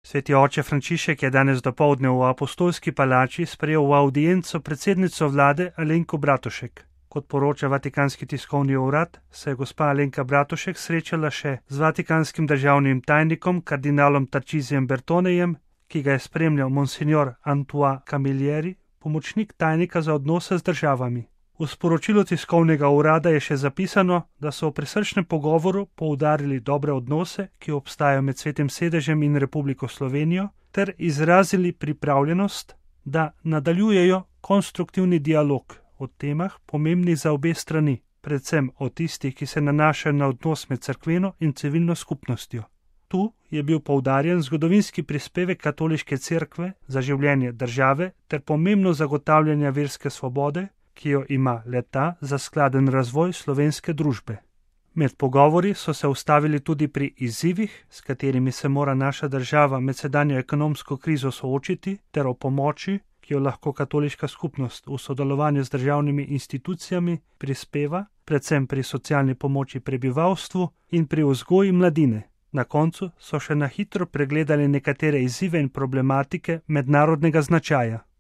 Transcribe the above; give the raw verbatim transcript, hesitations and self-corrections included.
Sveti oče Frančišek je danes dopoldne v Apostolski palači sprejel v avdienco predsednico vlade Alenko Bratušek. Kot poroča Vatikanski tiskovni urad, se je gospa Alenka Bratušek srečala še z vatikanskim državnim tajnikom kardinalom Tarcisijem Bertonejem, ki ga je spremljal monsignor Antoine Camilleri, pomočnik tajnika za odnose z državami. V sporočilu tiskovnega urada je še zapisano, da so v prisrčnem pogovoru poudarili dobre odnose, ki obstajajo med Svetim sedežem in Republiko Slovenijo, ter izrazili pripravljenost, da nadaljujejo konstruktivni dialog o temah pomembnih za obe strani, predvsem o tistih, ki se nanašajo na odnos med cerkveno in civilno skupnostjo. Tu je bil poudarjen zgodovinski prispevek katoliške cerkve za življenje države ter pomembno zagotavljanje verske svobode, ki jo ima le-ta za skladen razvoj slovenske družbe. Med pogovori so se ustavili tudi pri izzivih, s katerimi se mora naša država med sedanjo ekonomsko krizo soočiti, ter o pomoči, ki jo lahko katoliška skupnost v sodelovanju z državnimi institucijami prispeva, predvsem pri socialni pomoči prebivalstvu in pri vzgoji mladine. Na koncu so še na hitro pregledali nekatere izzive in problematike mednarodnega značaja.